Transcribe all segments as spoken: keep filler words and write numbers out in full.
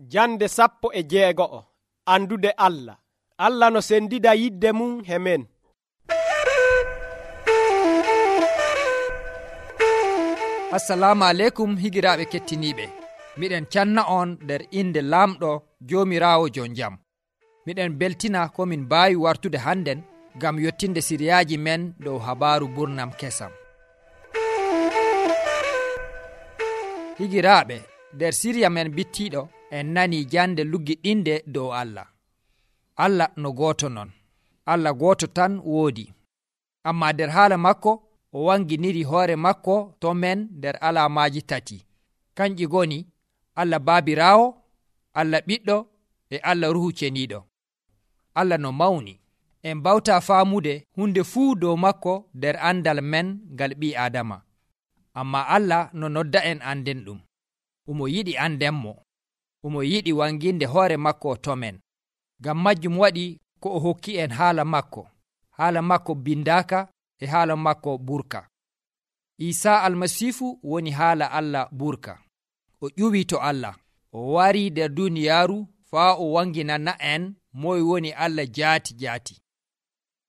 Jande sappo e jeego'o. Andude Allah. Allah no sendida yidde mum he men. Assalamu aleykum higiraaɓe kettiniiɓe. Miɗen canna on nder inde laamɗo Joomiraawo jon jam. Miɗen beltina ko min mbaawi wartude hannden ngam yottinde siriyaaji men dow habaaru burnam kesam. Higiraaɓe, nder siriya men bittiiɗo en nanii jande luggiɗinde dow Allah. Allah no gooto non. Allah gooto tan woodi. Amma nder haala makko o wanginiri hoore makko to men nder alaamaaji tati. Kanƴi goni Allah Baabiraawo, Allah Ɓiɗɗo e Allah Ruhu Ceniiɗo. Allah no mawni. En mbawta faamude hunde fuu dow makko nder andal men ngal ɓii Aadama. Amma Allah no nodda en anden ɗum. Omo yiɗi andenmo. Omo yiɗi wanginde hoore makko to men. Ngam majjum waɗi ko o hokki en haala makko, haala makko bindaaka e haala makko burka. Isaa Almasiifu woni haala Allah burka. O ƴuwii to Allah. O warii nder duniyaaru faa o wanginana en moy woni Allah jaati jaati.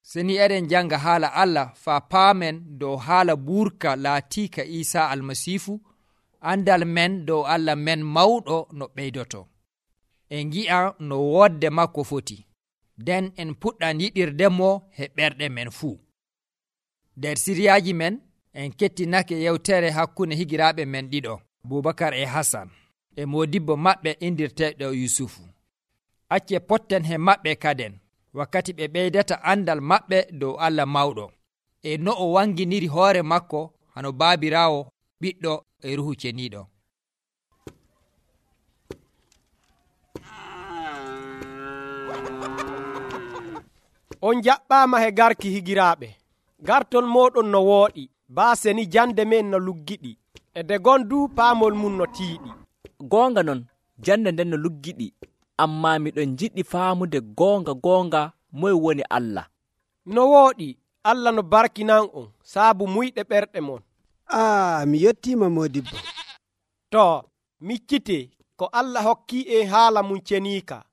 Seni eɗen janga haala Allah faa paamen dow haala burka laatiika Isaa Almasiifu, andal men dow Allah men mawɗo no ɓeydoto. En ngi'a no wodde makko foti. Den en puɗɗan yiɗirdemo he ɓerɗe men fuu. Nder siriyaaji men en kettinake yewtere hakkunde higiraaɓe men ɗiɗo, Bubakar e Hasan, e modibbo maɓɓe indirteeɗo Yusufu. Acce potten he maɓɓe kaden wakkati ɓe ɓeydata andal maɓɓe dow Allah mawɗo e no o wanginiri hoore makko hano Baabiraawo, Ɓiɗɗo e Ruhu Ceniiɗo. On jaɓɓaama he garki higiraaɓe. Gartol mooɗon no wooɗi, baaseni jande men no luggiɗi, e de gondu paamol mum no tiiɗi. Goonga non, jande nden no luggiɗi, amma miɗon jiɗɗi faamude goonga goonga moy woni Allah. No wooɗi, Allah no barkinan on saabu muyɗe ɓerɗe mon. Aa, mi yettima modibbo. To, miccite ko Allah hokki en haala mum ceniika,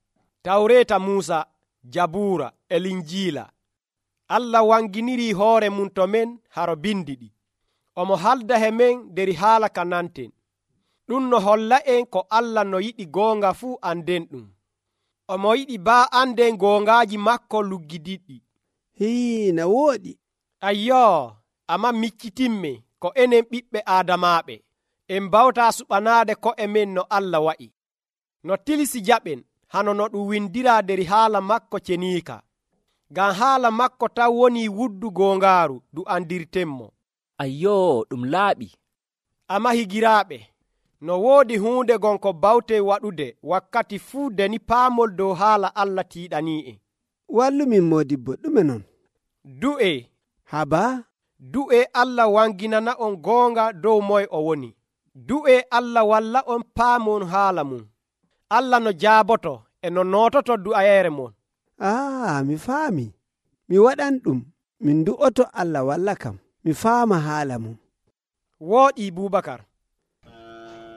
Tawreeta Muusa, Jabuura e Linjiila. Allah wanginiri hoore mum to men haro bindiɗi. Omo halda he men nder haala ka nanten. Ɗum no holla en ko Allah no yiɗi goonga fuu anden ɗum. Omo yiɗi baa anden goongaaji makko luggidiɗɗi. Hii, na wooɗi. Ayyoo, amma miccitimme ko enen ɓiɓɓe Aadamaaɓe en mbawta suɓanaade ko'e men no Allah wa'i. No tilisi jaɓen hano no ɗum windira nder haala makko ceniika. Ngam haala makko taw woni wuddu goongaaru du andirtenmo. Ayyoo, ɗum laaɓi. Amma higiraaɓe, no woodi huunde gon ko bawte waɗude wakkati fuu deni paamol dow haala Allah tiiɗanii'en. Wallumin modibbo, ɗume non? Du'e. Haba? Du'e Allah wanginana on goonga dow moye o woni. Du'e Allah walla on paamon haala mum. Allah no jaaboto e no noototo du'ayeere mon. Ah, mi faami. Mi waɗan ɗum. Min du'oto Allah walla kam. Mi faama haala mum. Wooɗi Bubakar.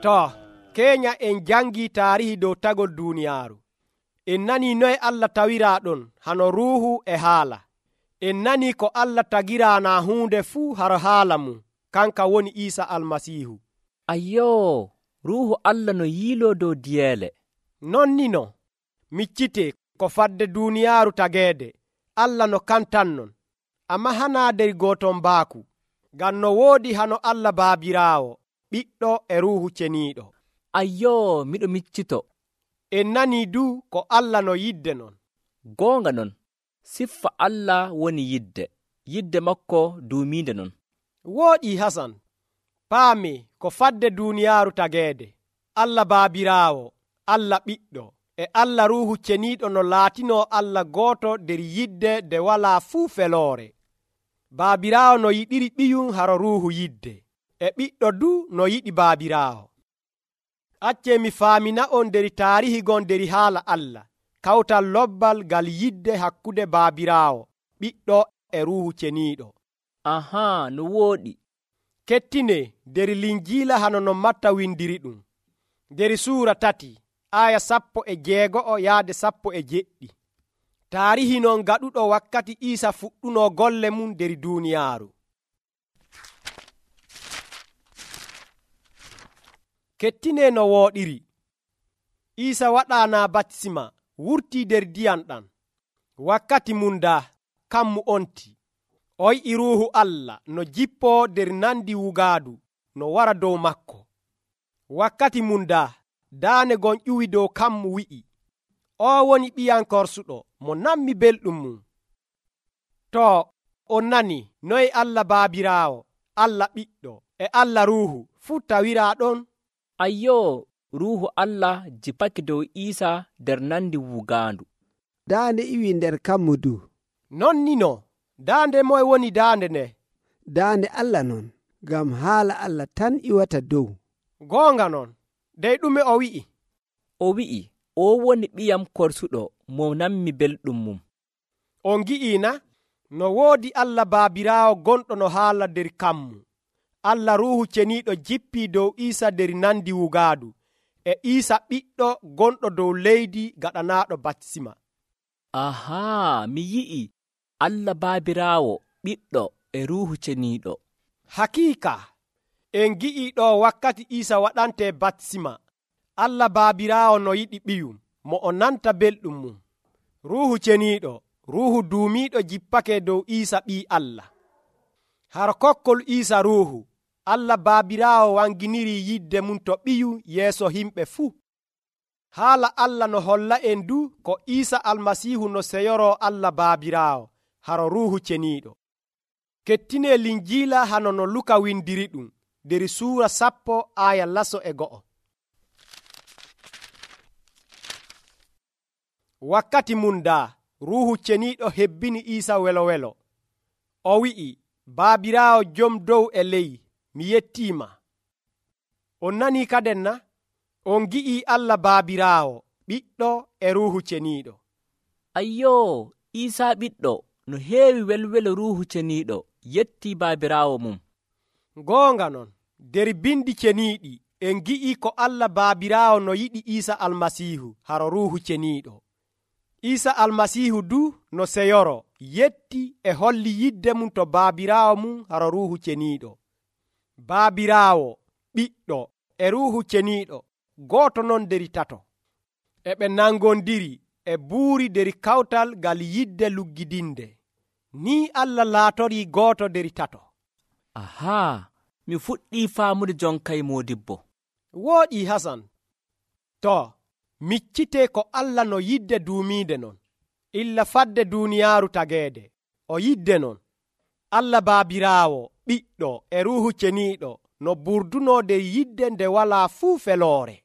To, keenya en jangi taarihi dow tagol duuniyaaru. En nani noye Allah tawiraa ɗon hano ruuhu e haala. En nani ko Allah tagiraana huunde fuu haro haala mum, kanka woni Iisa Almasiihu. Ayyoo, ruuhu Allah no yiiloo dow diyeele. Non ni no, miccite ko fadde duuniyaaru tageede, Allah no kantannon, amma hanaa nder gooton mbaaku, ngam no woodi hano Allah Baabiraawo, Ɓiɗɗo e Ruuhu Ceniiɗo. Ayyoo, miɗo miccito. En nanii du ko Allah no yidde non. Goonga non, siffa Allah woni yidde, yidde makko duumiinde non. Wooɗi Hasan, paame ko fadde duuniyaaru tageede, Allah Baabiraawo, Allah Ɓiɗɗo e Allah Ruuhu Ceniiɗo no laatinoo Allah gooto nder yidde nde walaa fuu feloore. Baabiraawo no yiɗiri ɓiyum haro Ruuhu yidde, e Ɓiɗɗo du no yiɗi Baabiraawo. Accee mi faamina on nder taarihi gon nder haala Allah, kawtal lobbal ngal yidde hakkude Baabiraawo, Ɓiɗɗo e Ruuhu Ceniiɗo. Ahaa, no wooɗi. Kettine nder Linjiila hano no Matta windiri ɗum. Nder suura tati, aya sappo e jeego'o yaade sappo e jeɗɗi. Taarihi non gaɗuɗo wakkati Iisa fuɗɗuno golle mum nder duuniyaaru. Kettine no wooɗiri. Iisa waɗaana batisima wurtii nder ndiyam ɗam. Wakkati mum daa kammu onti. O yi'i Ruuhu Allah no jippoo nder nandi wugaadu no wara dow makko. Wakkati mum daa daane gon ƴuwi dow kammu wi'i, o woni ɓiyam korsuɗo mo nammi belɗum mum. To on nani noye Allah Baabiraawo, Allah Ɓiɗɗo e Allah Ruuhu fuu tawiraa ɗon? Ayyoo, Ruuhu Allah jipake dow Iisa nder nandi wugaandu. Daande iwi nder kammu du. Non ni no, daande moye woni daande nde? Daande Allah non, ngam haala Allah tan iwata dow. Goonga non, dey ɗume o wi'i? O wi'i, o woni ɓiyam korsuɗo mo nammi belɗum mum. On gi'ii na? No woodi Allah Baabiraawo gonɗo no haala nder kammu. Allah Ruuhu Ceniiɗo jippii dow Iisa nder nandi wugaadu, e Iisa ɓiɗɗo gonɗo dow leydi gaɗanaaɗo batisima. Ahaa, mi yi'i Allah Baabiraawo, Ɓiɗɗo e Ruuhu Ceniiɗo. Hakiika, en gi'ii ɗo wakkati Iisa waɗante batisima, Allah Baabiraawo no yiɗi ɓiyum, mo o nanta belɗum mum. Ruuhu Ceniiɗo, Ruuhu duumiiɗo jippake dow Iisa ɓii Allah. Har kokkol Iisa Ruuhu, Allah Baabiraawo wanginiri yidde mum to ɓiyu yeeso himɓe fuu. Haala Allah no holla en du ko Iisa Almasiihu no seyoroo Allah Baabiraawo haro Ruuhu Ceniiɗo. Kettine Linjiila hano no Luka windiri ɗum nder suura sappo aya laso e go'o. Wakkati mum daa Ruuhu Ceniiɗo hebbini Iisa welo welo. O wi'i, Baabiraawo jom dow e ley, mi yettiima. On nanii kaden na? On gi'ii Allah Baabiraawo, Ɓiɗɗo e Ruuhu Ceniiɗo. Ayyoo, Iisa Ɓiɗɗo no heewi welwelo Ruuhu Ceniiɗo yettii Baabiraawo mum. Goonga non, nder bindi ceniiɗi en gi'ii ko Allah Baabiraawo no yiɗi Iisa Almasiihu haro Ruuhu Ceniiɗo. Iisa Almasiihu du no seyoro yetti e holli yidde mum to Baabiraawo mum haro Ruuhu Ceniiɗo. Baabiraawo, Ɓiɗɗo e Ruuhu Ceniiɗo gooto non nder tato. E ɓe nangondiri e buuri nder kawtal ngal yidde luggidinde. Ni Allah laatorii gooto nder tato. Ahaa, mi fuɗɗii faamude jonkay moodibbo. Wooɗi Hasan. To, miccitee ko Allah no yidde duumiinde non. Illa fadde duuniyaaru tageede. O yidde non. Allah Baabiraawo, Ɓiɗɗo e Ruuhu Ceniiɗo no burdunoo nder yidde nde walaa fuu feloore.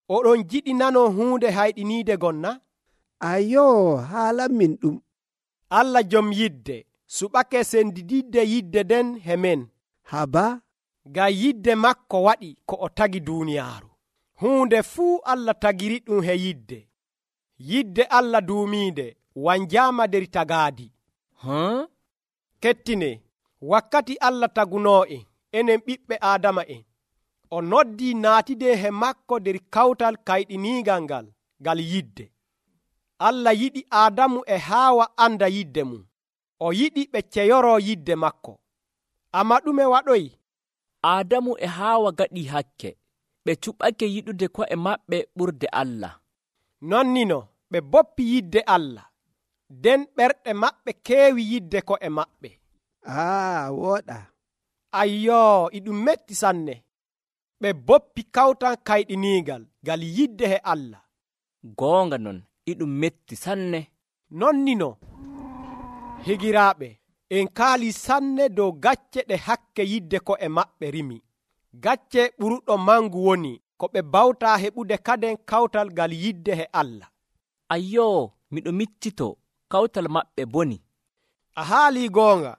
Oɗon jiɗi nanoo huunde hayɗiniide gonna? Ayoo, haalan min ɗum. Allah jom yidde suɓake sendididde yidde den he men. Haba, ngam yidde makko waɗi ko o tagi duuniyaaru. Huunde fuu Allah tagiri ɗum he yidde. Yidde Allah duumiinde wanjaama nder tagaadi. Huh? Kettine, wakkati Allah tagunoo'en enen ɓiɓɓe Aadama'en, o noddii naatide he makko nder kawtal kayɗiniigal ngal ngal yidde. Allah yiɗi Aadamu e Haawa anda yidde mum. O yiɗi ɓe ceyoroo yidde makko. Amma ɗume waɗoyi? Aadamu e Haawa gaɗii hakke. Ɓe cuɓake yiɗude ko'e maɓɓe ɓurde Allah. Nonnino ɓe boppi yidde Allah. Den ɓerɗe maɓɓe keewi yidde ko'e maɓɓe. aa wooɗa. Ayyoo, iɗum metti sanne. Ɓe boppi kawtan kayɗiniigal ngal yidde he Allah. Goonga non, iɗum metti sanne. Nonnino, higiraaɓe, en kaali sanne dow gacce ɗe hakke yidde ko'e maɓɓe rimi. Gacce ɓuruɗo mangu woni ko ɓe bawtaa heɓude kaden kawtal ngal yidde he Allah. Ayyoo, miɗo miccito kawtal maɓɓe boni. A haalii goonga.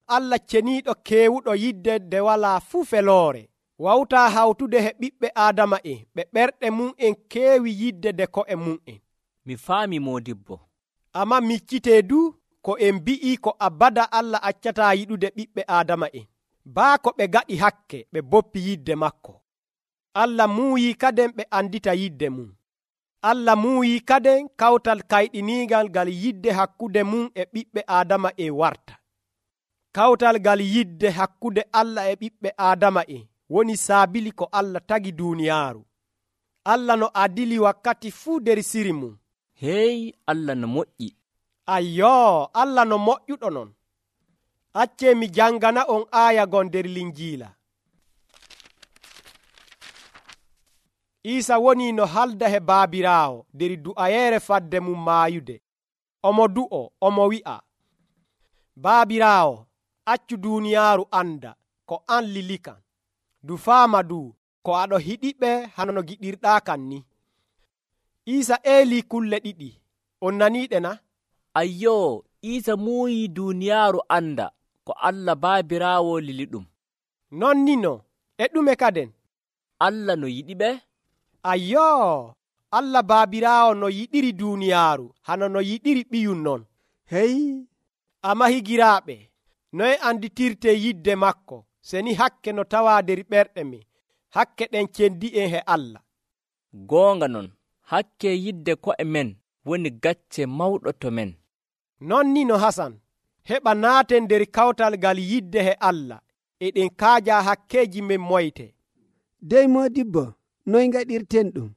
Allah ceniiɗo keewuɗo yidde nde walaa fuu feloore wawtaa hawtude he ɓiɓɓe Aadama'en ɓe ɓerɗe mum'en keewi yidde nde ko'e mum'en. Mi faami moodibbo. Amma miccitee du ko en mbi'ii ko abada Allah accataa yiɗude ɓiɓɓe Aadama'en. Baa ko ɓe gaɗi hakke ɓe boppi yidde makko. Allah muuyi kaden ɓe andita yidde mum. Allah muuyi kaden kawtal kayɗiniigal gal yidde hakkude mum e ɓiɓɓe Aadama e warta. Kawtal gal yidde hakkude Allah e ɓiɓɓe Aadama e woni saabili ko Allah tagi duuniyaaru. Allah no adili wakkati fuu der siri mum. Hey, Allah no moƴƴi. Ayyoo, Allah no moƴƴuɗo non. Accee mi jangana on aaya gon der Linjiila. Iisa woni no halda he baabiraawo der du'ayeere fadde mum maayude. Omo du'o, omo wi'a, baabiraawo, accu duuniyaaru anda ko an lilikan. Du faama du ko aɗo hiɗiɓe hano no giɗirɗaa kan ni. Iisa eelii kulle ɗiɗi. On naniiɗe na? Ayyoo, Iisa muuyi duuniyaaru anda ko Allah baabiraawo lili ɗum. Non ni no, e ɗume kaden? Allah no yiɗi ɓe? Ayyoo, Allah baabiraawo no yiɗiri duuniyaaru hano no yiɗiri ɓiyum non. Hey, Ama higiraaɓe, noye anditirte yidde makko seni hakke no tawaa der ɓerɗe men, hakke ɗen cendi'en he Allah. Goonga non, hakke yidde ko'e men woni gacce mawɗo to men. Non ni no Hasan, heɓa naaten der kawtal gal yidde he Allah, eɗen kaaja hakkeeji men moyte. dey modibbo, noy ngaɗirten ɗum?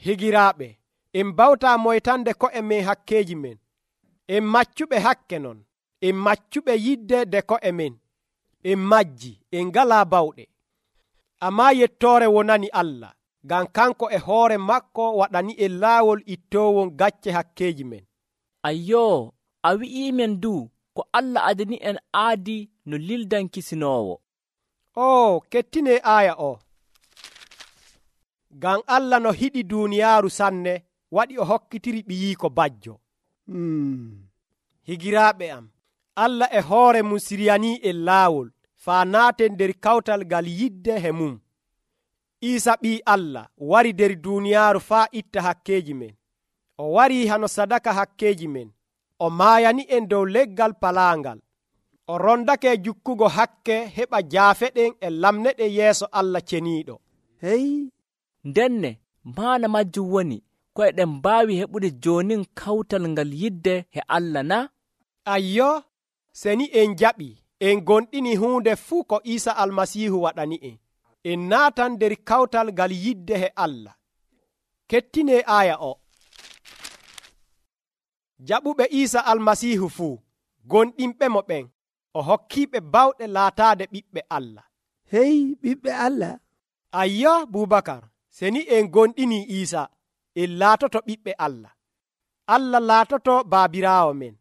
Higiraaɓe, en bawta moytande ko'e men hakkeeji men. En maccuɓe hakke non, en maccuɓe yidde de ko'e men. En majji, en ngalaa bawɗe. Ammaa yettoore wonani Allah, ngam kanko e hoore makko waɗani en laawol ittoowon gacce hakkeeji men. Ayyoo, a wi'iimen du ko Allah adani en aadi no lildan kisinoowo. O, kettinee aaya o. Ngam Allah no hiɗi duuniyaaru sanne waɗi o hokkitiri ɓiyiiko bajjo. Hmm. Higiraaɓe am, Allah e hoore mum siryanii en laawol faa naaten nder kawtal gal yidde he mum. Iisa ɓii Allah wari der duuniyaaru faa itta hakkeeji men. O warii hano sadaka hakkeeji men. O maayani en dow leggal palaangal. O rondake jukkugo hakke heɓa jaafeɗen e lamneɗen yeeso Allah ceniiɗo. Hey, Ndenne maana majjum woni ko eɗen mbaawi heɓude joonin kawtal ngal yidde he Allah na? Ayyo, seni en jaɓi en gonɗini huunde fuu ko Iisa almasiihu waɗani en. En naatan nder kawtal gal yidde he Allah. Kettinee aaya o. Jaɓuɓe Iisa almasiihu fuu, gonɗinɓe mo ɓen, o hokkiiɓe bawɗe laataade ɓiɓɓe Allah. hey, ɓiɓɓe Allah. Ayyo, Bubakar, seni en gonɗini Iisa, en laatoto ɓiɓɓe Allah. Allah laatoto baabiraawo men.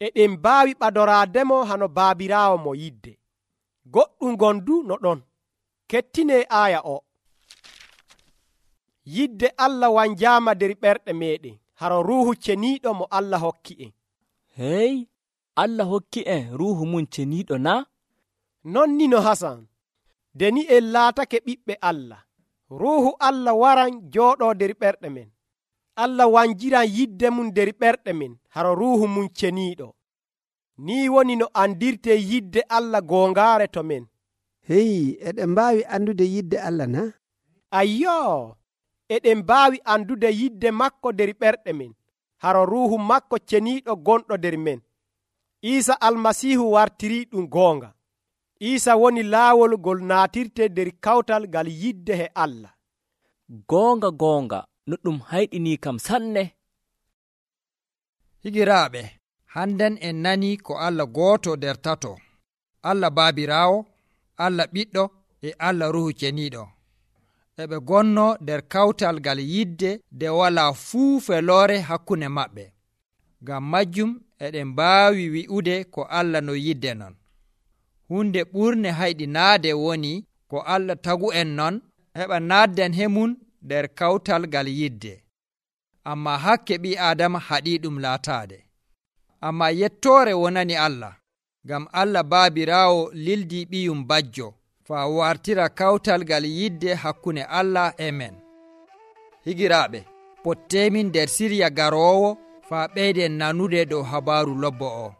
Eɗen mbaawi ɓadoraademo hano baabiraawo mo yidde. Goɗɗum gondu no ɗon. Kettinee aaya o. Yidde Allah wanjaama der ɓerɗe meɗen, haro ruuhu ceniiɗo mo Allah hokki en. Hey, Allah hokki en ruuhu mum ceniiɗo na? Non ni no Hasan, deni en laatake ɓiɓɓe Allah, ruuhu Allah waran jooɗoo der ɓerɗe men. Allah wanjiran yidde mum der ɓerɗe men haro ruuhu mum ceniiɗo. Ni woni no andirte yidde Allah goongaare to men. Hey, eɗen mbaawi andude yidde Allah na? Ayyoo, eɗen mbaawi andude yidde makko der ɓerɗe men haro ruuhu makko ceniiɗo gonɗo der men. Iisa almasiihu wartirii ɗum goonga. Iisa woni laawol ngol naatirte der kawtal gal yidde he Allah. Goonga goonga no ɗum hayɗinii kam sanne. Higiraaɓe, hannden en nani ko Allah gooto nder tato, Allah baabiraawo, Allah ɓiɗɗo e Allah ruhu ceniiɗo. Eɓe gonno nder kawtal gal yidde nde walaa fuu feloore hakkunde maɓɓe. Ngam majjum eɗen mbaawi wi'ude ko Allah no yidde non. Hunde ɓurne hayɗinaade woni ko Allah tagu en non heɓa naadden hemun nder kawtal gal yidde. Amma hakke ɓi Adama haɗii ɗum laataade. Amma yettoore wonani Allah, ngam Allah baabiraawo lildii ɓiyum bajjo faa wartira kawtal gal yidde hakkunde Allah e men. Higiraaɓe, potteemin nder sirya garoowo faa ɓeyden nanude dow habaaru lobbo o.